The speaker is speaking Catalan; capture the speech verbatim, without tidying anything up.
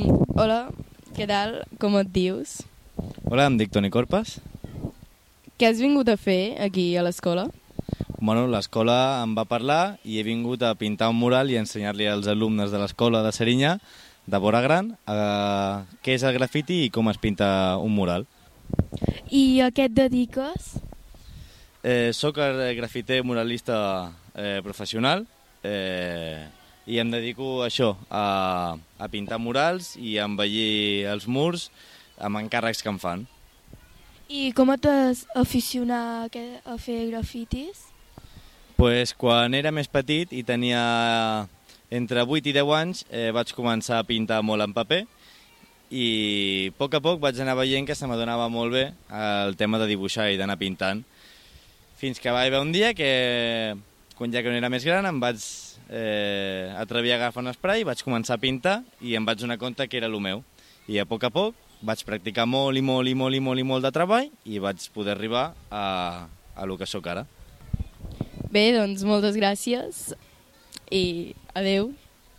Hola, què tal? Com et dius? Hola, em dic Toni Corpas. Què has vingut a fer aquí a l'escola? Bueno, l'escola em va parlar i he vingut a pintar un mural i ensenyar-li als alumnes de l'escola de Serinyà, de Vora Gran, eh, què és el grafiti i com es pinta un mural. I a què et dediques? Eh, soc el grafiter muralista eh, professional eh, i em dedico a això, a, a pintar murals i a embellir els murs amb encàrrecs que em fan. I com et vas aficionar a, que, a fer grafitis? Pues, quan era més petit i tenia entre vuit i deu anys eh, vaig començar a pintar molt en paper i a poc a poc vaig anar veient que se m'adonava molt bé el tema de dibuixar i d'anar pintant. Fins que va haver un dia que, quan ja que no era més gran, em vaig eh, atrevir a agafar un spray, vaig començar a pintar i em vaig donar compte que era el meu. I a poc a poc vaig practicar molt i molt i molt i molt i molt de treball i vaig poder arribar a, a lo que sóc ara. Bé, doncs moltes gràcies i adeu.